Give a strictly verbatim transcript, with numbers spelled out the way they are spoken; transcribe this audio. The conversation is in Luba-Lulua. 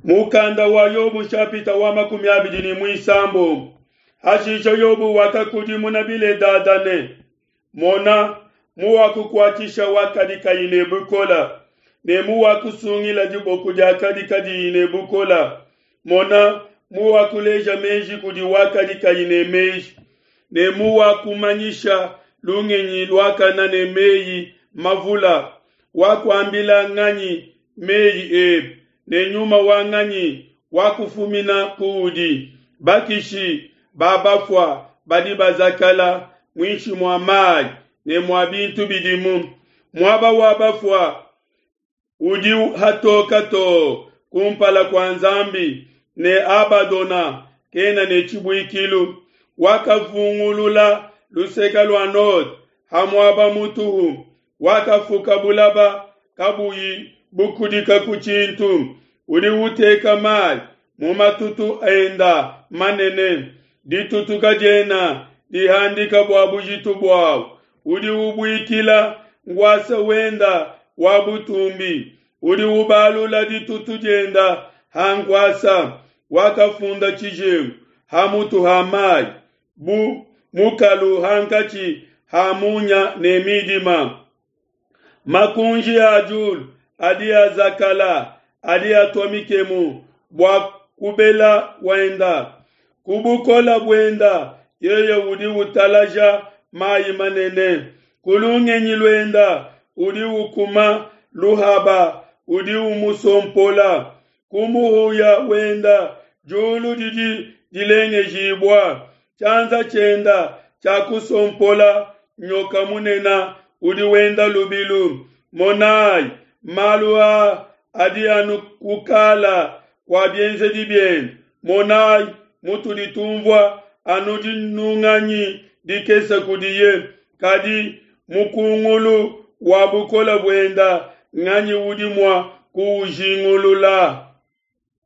Mukanda wa Yobu shapita wa makumi abidi ne muisambombo. Hashisha Yobu wakakudimuna Biledada ne, Mona muwakukuatshisha wakadi kayi ne bukola, ne muwakusungila diboko diakadi kadiyi ne bukola. Mona muwakuleja meji kudi wakadi kayi ne meji, ne muwakumanyisha lungenyi luakana ne meyi mavula. Wakuambila nganyi meyi ebe, ne nyuma wa nganyi wakufumina kuudi? Bakishi ba bafua badi bazakala muinshi mua mayi ne mua bintu bidimu. Muaba wa bafua udi hatoka too kumpala kua Nzambi, ne Abadona kena ne tshibuikilu. Wakavungulula luseke lua node ha muaba mutuhu, wakafuka bulaba kabuyi bukudika ku tshintu. Udi uteka mayi mu matutu enda manene, ditutu kadiena dihandika bua bujitu buawu. Udi ubuikila nkuasa wenda wa butumbi, udi ubalula ditutu dienda ha nkuasa. Wakafunda tshijengu ha mutu ha mayi, bu mukalu hankatshi ha munya ne midima. Makunji a diulu adi azakala, adi atua mikemu bua kubela kuenda. Ku bukola buenda yeye udi utalaja mayi manene. Ku lungenyi luenda udi ukuma Luhaba, udi umusompola. Ku muhuya wenda diulu didi dilengejibua. Tshianza tshienda tshiakusompola nyoka munene udi wenda lubilu. Monayi, malu aa adi anu kukala kua bienzedi biende. Monayi mutudi tumvua anu dinunganyi dikese kudiye, kadi mukungulu wa bukole buenda nganyi udi mua kuujingulula?